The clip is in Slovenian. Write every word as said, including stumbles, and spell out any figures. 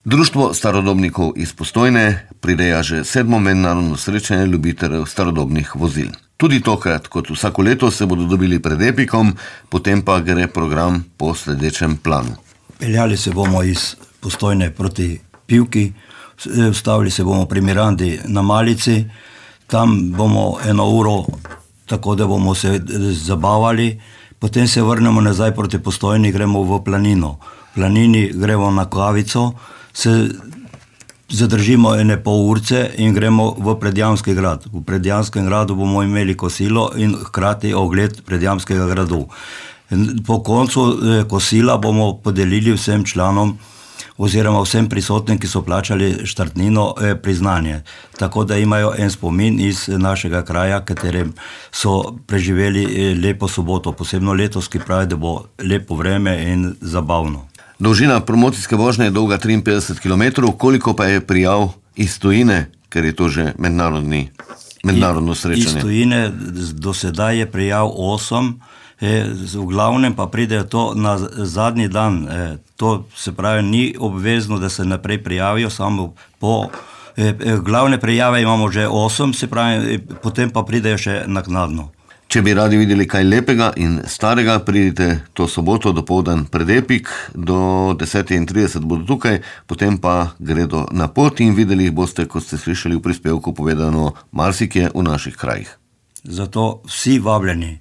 Društvo starodobnikov iz Postojne prireja že sedmo mednarodno srečanje ljubiteljev starodobnih vozil. Tudi tokrat, kot vsako leto, se bodo dobili pred Epikom, potem pa gre program po sledečem planu. Peljali se bomo iz Postojne proti Pivki, ustavili se bomo pri Mirandi na Malici, tam bomo eno uro, tako da bomo se zabavali, potem se vrnemo nazaj proti Postojni, gremo v Planino. V Planini gremo na kavico, se zadržimo ene pol urce in gremo v Predjamski grad. V Predjamskem gradu bomo imeli kosilo in hkrati ogled Predjamskega gradu. Po koncu kosila bomo podelili vsem članom oziroma vsem prisotnim, ki so plačali štartnino, priznanje. Tako da imajo en spomin iz našega kraja, katerem so preživeli lepo soboto, posebno letos, ki pravi, da bo lepo vreme in zabavno. Dolžina promocijske vožnje je dolga triinpetdeset kilometrov, koliko pa je prijav iz tujine, ker je to že mednarodni, mednarodno srečanje? Iz tujine do sedaj je prijav osem, v glavnem pa pridejo to na zadnji dan. To se pravi, ni obvezno, da se naprej prijavijo, samo po glavne prijave imamo že osem, se pravi, potem pa pridejo še naknadno. Če bi radi videli kaj lepega in starega, pridite to soboto dopoldan pred Epik, do deset trideset bodo tukaj, potem pa gredo na pot in videli jih boste, kot ste slišali v prispevku povedano, marsikje v naših krajih. Zato vsi vabljeni.